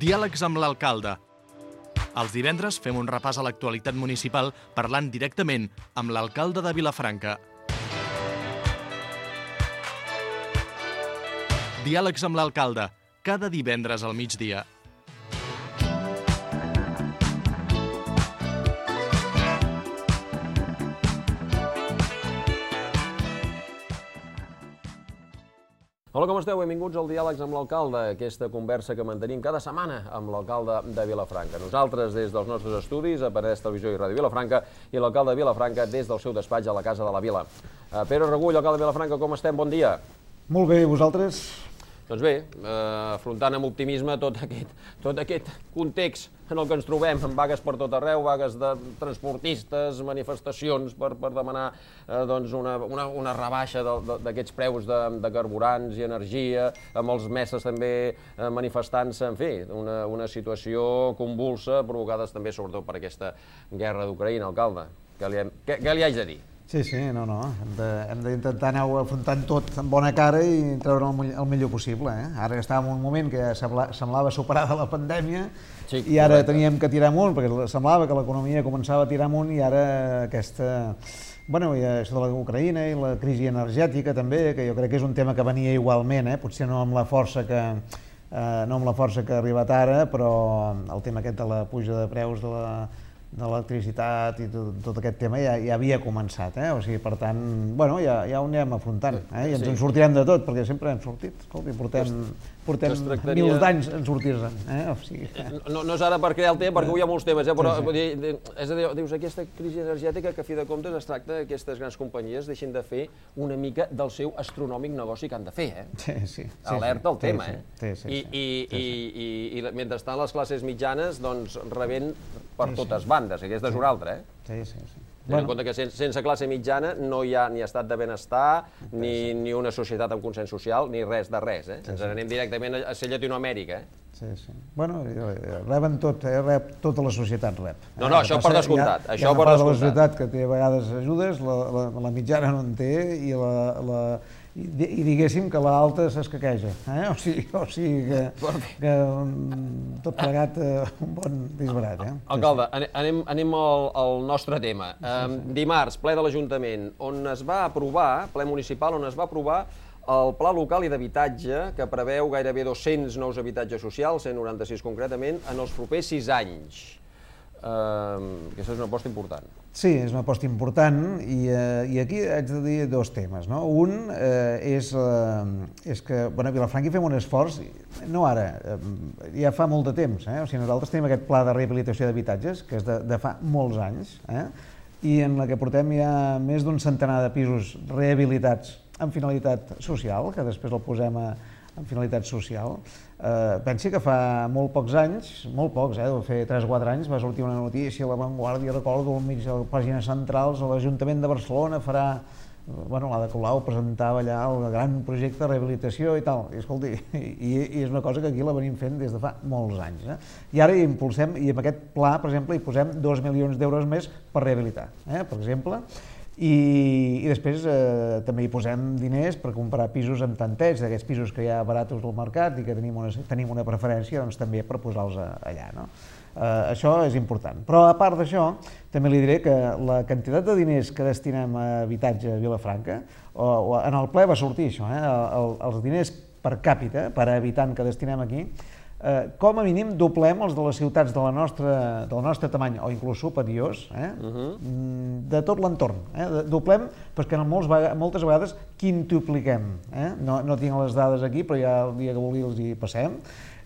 Diàlegs amb l'alcalde. Els divendres fem un repàs a l'actualitat municipal parlant directament amb l'alcalde de Vilafranca. Diàlegs amb l'alcalde, cada divendres al migdia. Hola, com esteu? Benvinguts al Diàlegs amb l'alcalde, aquesta conversa que mantenim cada setmana amb l'alcalde de Vilafranca. Nosaltres des dels nostres estudis, a Penedès Televisió i Ràdio Vilafranca, i l'alcalde de Vilafranca des del seu despatx a la Casa de la Vila. Pere Regull, alcalde de Vilafranca, com estem? Bon dia. Molt bé, vosaltres? Doncs bé, afrontant amb optimisme tot aquest context en el que ens trobem, amb vagues per tot arreu, vagues de transportistes, manifestacions per demanar una rebaixa d'aquests preus de carburants i energia, amb els mestres també manifestant-se, en fi, una situació convulsa, provocada també sobretot per aquesta guerra d'Ucraïna, alcalde. Què li haig de dir? Sí, no. Hem d'intentar anar afrontant tot amb bona cara i treure el millor possible. Ara estàvem en un moment que semblava superada la pandèmia i ara teníem que tirar amunt, perquè semblava que l'economia començava a tirar amunt i ara aquesta... Bueno, i això de l'Ucraïna i la crisi energètica també, que jo crec que és un tema que venia igualment, potser no amb la força que ha arribat ara, però el tema aquest de la puja de preus de l'electricitat i tot aquest tema ja havia començat, o sigui, per tant, bueno, ja ho anem afrontant, i ens en sortirem de tot, perquè sempre hem sortit, escolti, portem mils d'anys en sortir-se'n, o sigui... No és ara per crear el tema, perquè avui hi ha molts temes, però és a dir, dius, aquesta crisi energètica que a fi de comptes es tracta que aquestes grans companyies deixin de fer una mica del seu astronòmic negoci que han de fer, Sí. Alerta al tema, I mentrestant les classes mitjanes, doncs, rebent per totes bandes, aquesta és una altra, Sí. Tenint en compte que sense classe mitjana no hi ha ni estat de benestar, ni una societat amb consens social, ni res de res, Ens anem directament a ser Llatinoamèrica, Sí. Bueno, reben tot, tota la societat rep. No, això per descomptat. Hi ha una part de la societat que té a vegades ajudes, la mitjana no en té i diguéssim que l'alta s'escaqueja, o sigui que tot plegat un bon disbarat. Alcalde, anem al nostre tema. Dimarts, ple de l'Ajuntament, on es va aprovar, ple municipal, on es va aprovar el Pla Local i d'Habitatge, que preveu gairebé 200 nous habitatges socials, 196 concretament, en els propers 6 anys. Aquesta és una aposta important. Sí, és una aposta important i aquí haig de dir dos temes. Un és que a Vilafranca hi fem un esforç, no ara, ja fa molt de temps. O sigui, nosaltres tenim aquest pla de rehabilitació d'habitatges, que és de fa molts anys, i en la que portem ja més d'un centenar de pisos rehabilitats amb finalitat social, que després el posem en finalitat social. Pensi que fa molt pocs anys, molt pocs, deu fer 3 o 4 anys, va sortir una notícia a La Vanguardia, recordo, al mig de les pàgines centrals, l'Ajuntament de Barcelona farà, l'Ada Colau presentava allà el gran projecte de rehabilitació i tal, i escolti, i és una cosa que aquí la venim fent des de fa molts anys. I ara hi impulsem, i amb aquest pla, per exemple, hi posem 2 milions d'euros més per rehabilitar, per exemple, i després també hi posem diners per comprar pisos amb tanteig, d'aquests pisos que hi ha baratos del mercat i que tenim una preferència també per posar-los allà. Això és important. Però a part d'això, també li diré que la quantitat de diners que destinem a habitatge a Vilafranca, en el ple va sortir això, els diners per càpita, per habitant que destinem aquí, com a mínim doblem els de les ciutats del nostre tamany, o inclús superiors, de tot l'entorn. Doblem, perquè moltes vegades quintupliquem. No tinc les dades aquí, però ja el dia que vulgui els hi passem,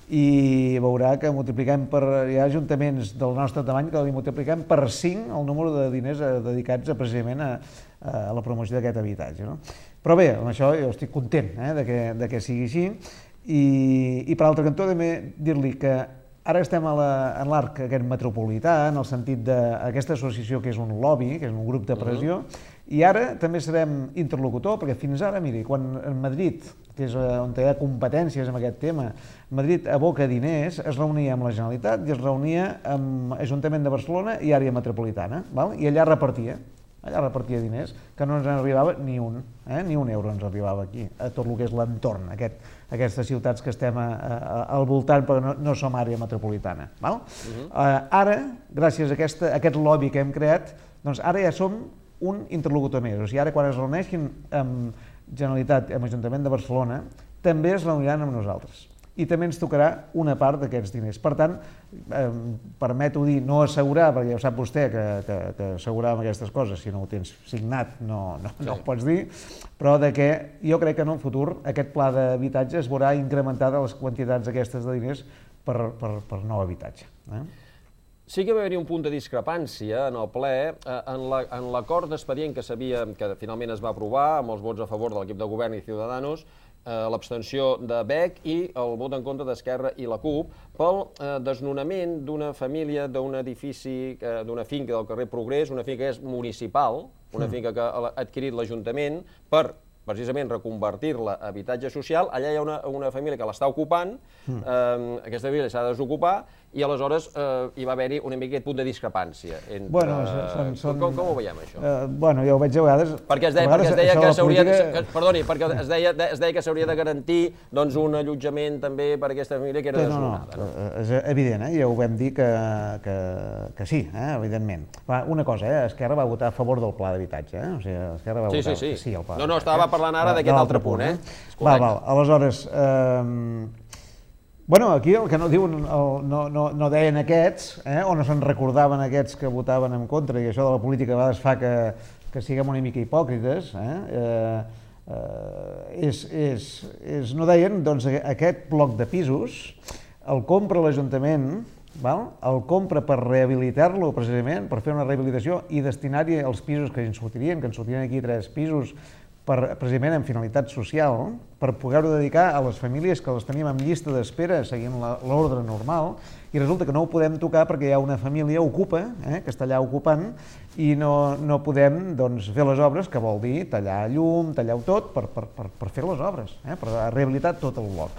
i veurà que multipliquem hi ha ajuntaments del nostre tamany que li multipliquem per 5 el número de diners dedicats precisament a la promoció d'aquest habitatge. Però bé, amb això jo estic content de que sigui així. I per l'altre cantó també dir-li que ara estem en l'arc aquest metropolità, en el sentit d'aquesta associació que és un lobby, que és un grup de pressió, i ara també serem interlocutor, perquè fins ara, miri, quan en Madrid, que és on hi ha competències en aquest tema, Madrid aboca diners, es reunia amb la Generalitat i es reunia amb l'Ajuntament de Barcelona i àrea metropolitana, i allà repartia. allà repartia diners, que no ens en arribava ni un euro ens arribava aquí, a tot el que és l'entorn, aquestes ciutats que estem al voltant, però no som àrea metropolitana. Ara, gràcies a aquest lobby que hem creat, doncs ara ja som un interlocutor més. O sigui, ara quan es reuneixin amb Generalitat, amb l'Ajuntament de Barcelona, també es reuniran amb nosaltres. I també ens tocarà una part d'aquests diners. Per tant, permeto dir, no assegurar, perquè ja ho sap vostè que assegurar amb aquestes coses, si no ho tens signat no ho pots dir, però que jo crec que en el futur aquest pla d'habitatge es veurà incrementada les quantitats aquestes de diners per nou habitatge. Sí que va haver-hi un punt de discrepància en el ple, en l'acord d'expedient que finalment es va aprovar, amb els vots a favor de l'equip de govern i Ciudadanos, l'abstenció de BEC i el vot en contra d'Esquerra i la CUP pel desnonament d'una família d'un edifici, d'una finca del carrer Progrés, una finca que és municipal, una finca que ha adquirit l'Ajuntament per precisament reconvertir-la a habitatge social. Allà hi ha una família que l'està ocupant, aquesta família s'ha de desocupar, i aleshores hi va haver-hi una mica aquest punt de discrepància. Com ho veiem, això? Bueno, jo ho veig a vegades... Perquè es deia que s'hauria... Perdoni, perquè es deia que s'hauria de garantir un allotjament també per a aquesta família que era desnonada. No, és evident, ja ho vam dir que sí, evidentment. Una cosa, Esquerra va votar a favor del pla d'habitatge, o sigui, Esquerra va votar sí al pla. No, estava parlant ara d'aquest altre punt, Val, aleshores... Bueno, aquí el que no diuen, no deien aquests, o no se'n recordaven aquests que votaven en contra, i això de la política a vegades fa que siguem una mica hipòcrites, no deien, doncs, aquest bloc de pisos el compra l'Ajuntament, el compra per rehabilitar-lo precisament, per fer una rehabilitació i destinar-hi els pisos que ens sortirien, aquí 3 pisos, precisament amb finalitat social, per poder-ho dedicar a les famílies que les tenim en llista d'espera seguint l'ordre normal, i resulta que no ho podem tocar perquè hi ha una família ocupa, que està allà ocupant, i no podem fer les obres, que vol dir tallar llum, tallar-ho tot, per fer les obres, per rehabilitar tot el bloc.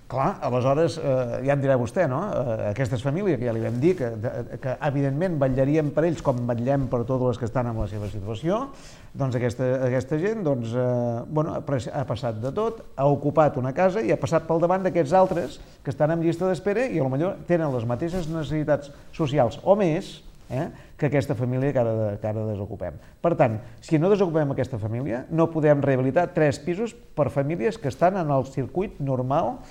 Clar, aleshores, ja em dirà vostè, no? Aquestes famílies, que ja li vam dir, que evidentment vetllaríem per ells com vetllem per totes les que estan en la seva situació, doncs aquesta gent ha passat de tot, ha ocupat una casa i ha passat pel davant d'aquests altres que estan en llista d'espera i potser tenen les mateixes necessitats socials o més que aquesta família que ara desocupem. Per tant, si no desocupem aquesta família, no podem rehabilitar 3 pisos per famílies que estan en el circuit normal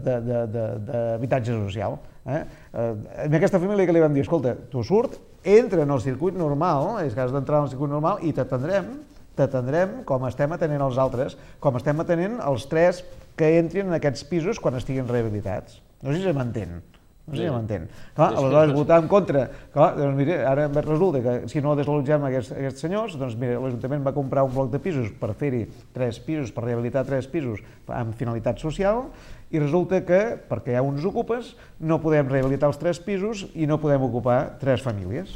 d'habitatge social. En aquesta família que li vam dir, escolta, tu surt, entra en el circuit normal, és que has d'entrar en el circuit normal i t'atendrem com estem atenent els altres, com estem atenent els 3 que entrin en aquests pisos quan estiguin rehabilitats. No sé si m'entén. Aleshores, votar en contra. Doncs mira, ara resulta que si no desallotgem aquests senyors, doncs mira, l'Ajuntament va comprar un bloc de pisos per fer-hi 3 pisos, per rehabilitar 3 pisos amb finalitat social, i resulta que, perquè hi ha uns ocupes, no podem rehabilitar els 3 pisos i no podem ocupar 3 famílies.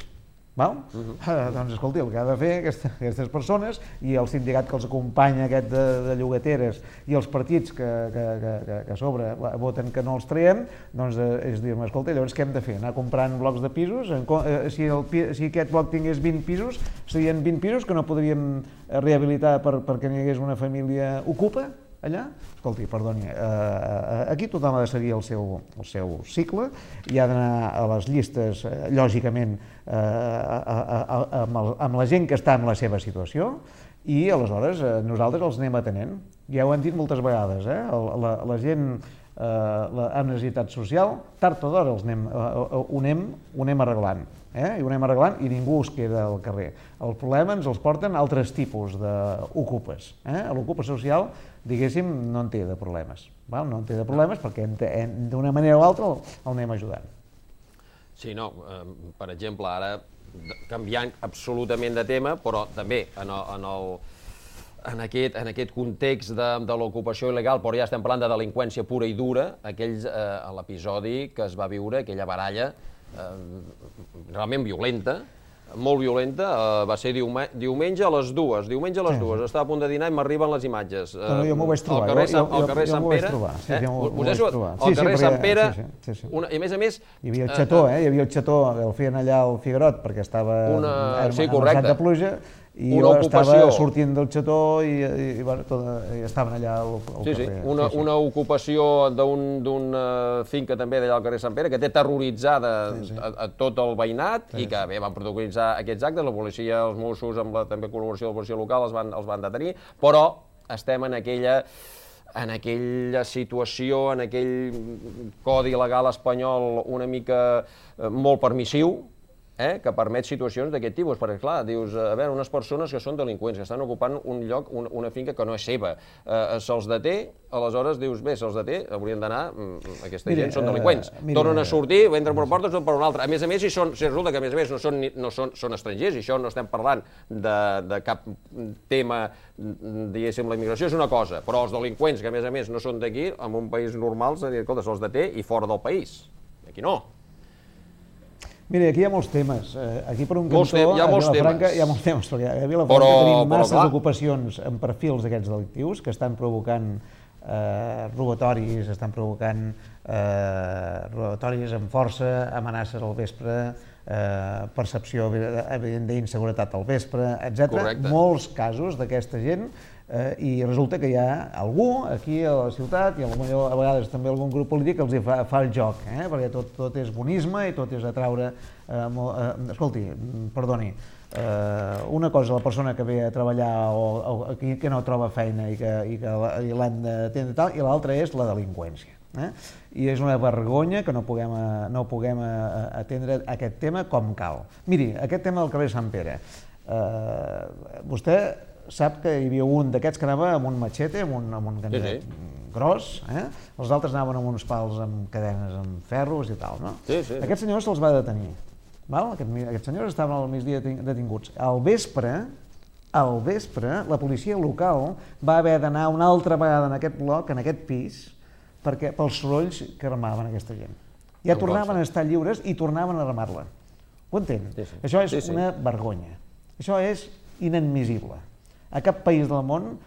Doncs escolti, el que ha de fer aquestes persones i el sindicat que els acompanya aquest de llogateres i els partits que a sobre voten que no els traiem, doncs és dir, escolta, llavors què hem de fer? Anar comprant blocs de pisos? Si aquest bloc tingués 20 pisos, serien 20 pisos que no podríem rehabilitar perquè n'hi hagués una família ocupa allà? Escolti, perdoni, aquí tothom ha de seguir el seu cicle i ha d'anar a les llistes, lògicament, amb la gent que està en la seva situació, i aleshores nosaltres els anem atenent. Ja ho hem dit moltes vegades, la gent amb necessitat social, tard o d'hora ho anem arreglant. I ho anem arreglant i ningú es queda al carrer. El problema ens els porten altres tipus d'ocupes. L'ocupa social, diguéssim, no en té de problemes. No en té de problemes perquè d'una manera o altra el anem ajudant. Sí, no, per exemple, ara canviant absolutament de tema, però també en aquest context de l'ocupació il·legal, però ja estem parlant de delinqüència pura i dura, l'episodi que es va viure, aquella baralla realment violenta, molt violenta, va ser diumenge a les 2. Diumenge a les 2, estava a punt de dinar i m'arriben les imatges. Però jo m'ho vaig trobar. Al carrer Sant Pere. Al carrer Sant Pere, i a més... Hi havia el xató, hi havia el xató, el feien allà al Figuerot perquè estava armessat de pluja, i jo estava sortint del xató i estaven allà al carrer. Una ocupació d'una finca també d'allà al carrer Sant Pere que té terroritzada a tot el veïnat i que bé, van protocolitzar aquests actes, la policia, els Mossos, amb la també col·laboració de la policia local els van detenir, però estem en aquella situació, en aquell codi legal espanyol una mica molt permissiu, que permet situacions d'aquest tipus, perquè clar, dius, a veure, unes persones que són delinqüents, que estan ocupant un lloc, una finca que no és seva, se'ls deté, aleshores dius, bé, se'ls deté, haurien d'anar, aquesta gent són delinqüents, tornen a sortir, entren per una porta, són per una altra. A més, si resulta que a més no són estrangers, i això no estem parlant de cap tema, diguéssim, la immigració és una cosa, però els delinqüents que a més no són d'aquí, en un país normal, escolta, se'ls deté i fora del país. Aquí no. Mira, aquí hi ha molts temes. Aquí per un cantó, a Vilafranca hi ha molts temes, perquè a Vilafranca tenim masses ocupacions amb perfils d'aquests delictius que estan provocant robatoris, estan provocant robatoris amb força, amenaces al vespre, percepció evident d'inseguretat al vespre, etc. Molts casos d'aquesta gent i resulta que hi ha algú aquí a la ciutat i potser a vegades també algun grup polític que els fa el joc, perquè tot és bonisme i tot és atraure... Escolti, perdoni, una cosa la persona que ve a treballar o que no troba feina i l'hem d'atendre tal, i l'altra és la delinqüència. I és una vergonya que no puguem atendre aquest tema com cal. Miri, aquest tema del carrer Sant Pere, vostè sap que hi havia un d'aquests que anava amb un matxete, amb un ganivet gros, els altres anaven amb uns pals amb cadenes, amb ferros i tal, no? Aquests senyors se'ls va detenir. Aquests senyors estaven al migdia detinguts. Al vespre, la policia local va haver d'anar una altra vegada en aquest bloc, en aquest pis, pels sorolls que armaven aquesta gent. Ja tornaven a estar lliures i tornaven a armar-la. Ho entén? Això és una vergonya. Això és inadmissible. A cap país del món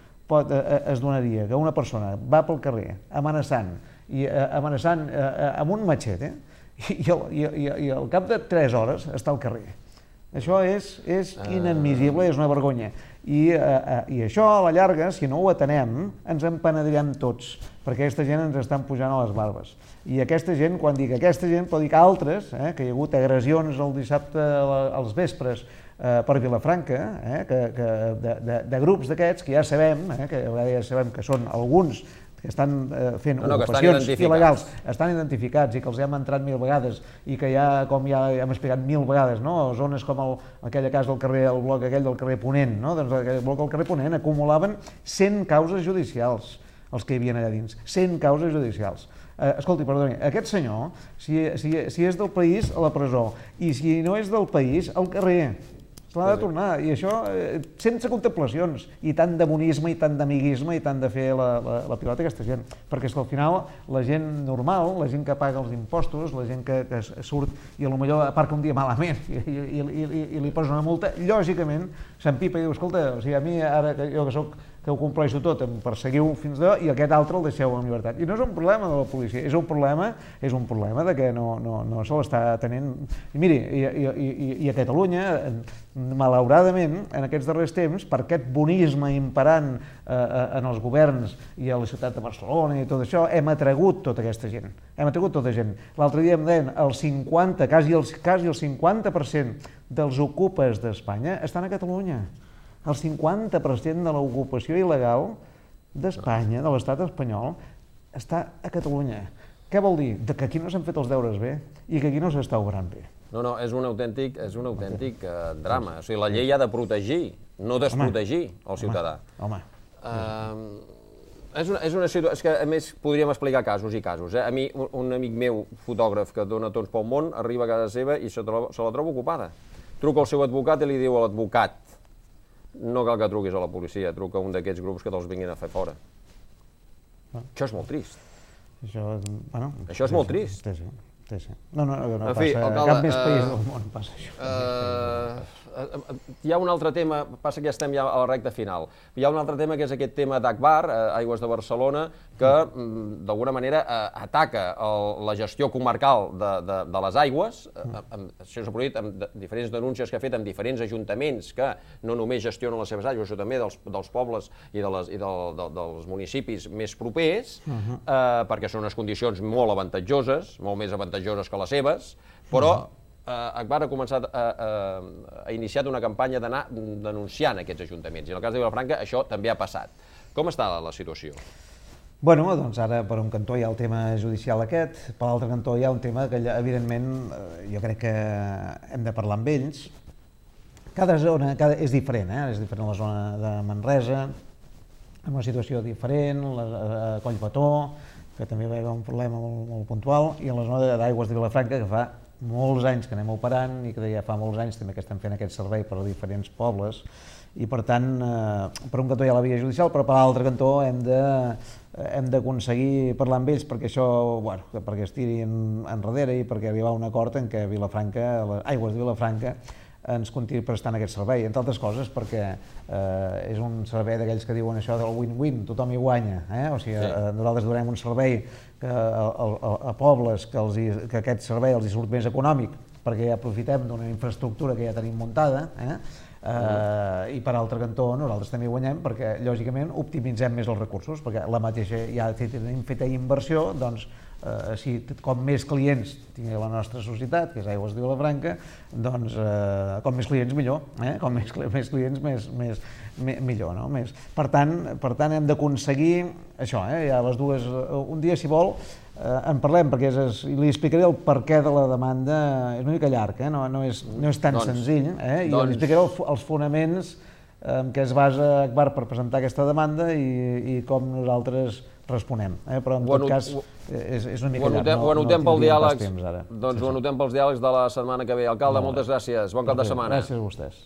es donaria que una persona va pel carrer amenaçant amb un matxete i al cap de 3 hores està al carrer. Això és inadmissible, és una vergonya. I això, a la llarga, si no ho atenem, ens en penedirem tots, perquè aquesta gent ens estan pujant a les barbes. I aquesta gent, quan dic aquesta gent, pot dir que altres, que hi ha hagut agressions el dissabte als vespres per Vilafranca, de grups d'aquests que ja sabem que són alguns que estan fent ocupacions il·legals, estan identificats i que els hem entrat 1000 vegades i que ja, com ja hem explicat 1000 vegades, zones com aquella casa del carrer, el bloc aquell del carrer Ponent, doncs aquell bloc del carrer Ponent acumulaven 100 causes judicials, els que hi havia allà dins, 100 causes judicials. Escolti, perdoni, aquest senyor, si és del país, a la presó, i si no és del país, al carrer. Se l'ha de tornar, i això sense contemplacions, i tant de bonisme, i tant d'amiguisme, i tant de fer la pilota a aquesta gent. Perquè és que al final la gent normal, la gent que paga els impostos, la gent que surt i potser aparca un dia malament i li posa una multa, lògicament s'empipa i diu, escolta, a mi ara jo que ho compleixo tot, em perseguiu fins d'allò i aquest altre el deixeu en llibertat. I no és un problema de la policia, és un problema de que no se l'està atenent. I miri, i a Catalunya, malauradament, en aquests darrers temps, per aquest bonisme imperant en els governs i a la ciutat de Barcelona i tot això, hem atragut tota aquesta gent. L'altre dia em deien, quasi el 50% dels ocupes d'Espanya estan a Catalunya. El 50% de l'ocupació il·legal d'Espanya, de l'estat espanyol, està a Catalunya. Què vol dir? Que aquí no s'han fet els deures bé i que aquí no s'està obrant bé. No, és un autèntic drama. O sigui, la llei ha de protegir, no desprotegir el ciutadà. Home. És una situació... És que, a més, podríem explicar casos i casos. A mi, un amic meu, fotògraf, que dona torns pel món, arriba a casa seva i se la troba ocupada. Truca al seu advocat i li diu a l'advocat: no cal que truquis a la policia, truca a un d'aquests grups que te'ls vinguin a fer fora. Això és molt trist. Això és molt trist. sí. No passa, a cap més país del món passa això. Hi ha un altre tema, passa que ja estem a la recta final, hi ha un altre tema que és aquest tema d'Agbar, Aigües de Barcelona, que d'alguna manera ataca la gestió comarcal de les aigües. Això s'ha produït amb diferents denúncies que ha fet amb diferents ajuntaments que no només gestionen les seves aigües, sinó també dels pobles i dels municipis més propers, perquè són unes condicions molt avantatjoses, molt més avantatjoses que les seves, però Agbar ha iniciat una campanya d'anar denunciant aquests ajuntaments, i en el cas de Vilafranca això també ha passat. Com està la situació? Bueno, doncs ara per un cantó hi ha el tema judicial aquest, per l'altre cantó hi ha un tema que evidentment jo crec que hem de parlar amb ells. Cada zona és diferent, és diferent la zona de Manresa, amb una situació diferent, a Collbató, que també va haver un problema molt puntual, i en la zona d'Aigües de Vilafranca, que fa molts anys que anem operant i que ja fa molts anys també que estem fent aquest servei per a diferents pobles, i per tant, per un cantó hi ha la via judicial, però per l'altre cantó hem d'aconseguir parlar amb ells perquè això, perquè es tiri enrere i perquè arribar a un acord en què Vilafranca, les Aigües de Vilafranca, ens continuï prestant aquest servei, entre altres coses perquè és un servei d'aquells que diuen això del win-win, tothom hi guanya, o sigui, nosaltres donem un servei a pobles que aquest servei els hi surt més econòmic perquè ja aprofitem d'una infraestructura que ja tenim muntada, i per altre cantó nosaltres també guanyem perquè lògicament optimitzem més els recursos, perquè la mateixa ja tenim feta inversió, doncs com més clients tingui la nostra societat, que és Aigües de Vilafranca, doncs com més clients millor, com més clients millor. Per tant hem d'aconseguir això, hi ha les dues, un dia si vol en parlem, perquè li explicaré el perquè de la demanda, és una mica llarg, no és tan senzill, i li explicaré els fonaments en què es basa Agbar per presentar aquesta demanda i com nosaltres responem, però en tot cas és una mica llarg. Ho anotem pels diàlegs, doncs ho anotem pels diàlegs de la setmana que ve. Alcalde, moltes gràcies, bon cap de setmana. Gràcies a vostès.